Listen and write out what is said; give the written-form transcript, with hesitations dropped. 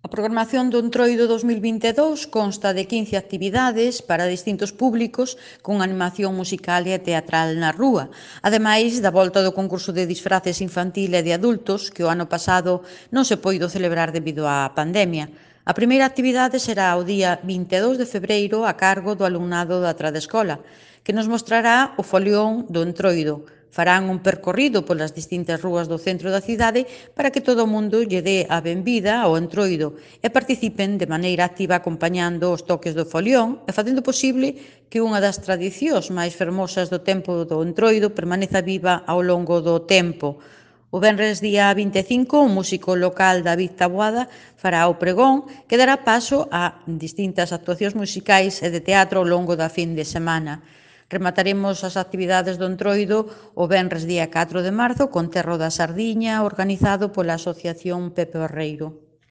A programación do Entroido 2022 consta de 15 actividades para distintos públicos con animación musical e teatral na rúa, ademais da volta do concurso de disfraces infantil e de adultos que o ano pasado non se poido celebrar debido á pandemia. A primeira actividade será o día 22 de febreiro a cargo do alumnado da Tradescola, que nos mostrará o folión do Entroido. Farán un percorrido polas distintas rúas do centro da cidade para que todo o mundo lle dé a benvida ao Entroido e participen de maneira activa acompañando os toques do folión e facendo posible que unha das tradicións máis fermosas do tempo do Entroido permaneza viva ao longo do tempo. O venres día 25, o músico local David Taboada fará o pregón que dará paso a distintas actuacións musicais e de teatro ao longo da fin de semana. Remataremos as actividades do Entroido o venres día 4 de marzo con Terro da Sardiña, organizado pola Asociación Pepe Barreiro.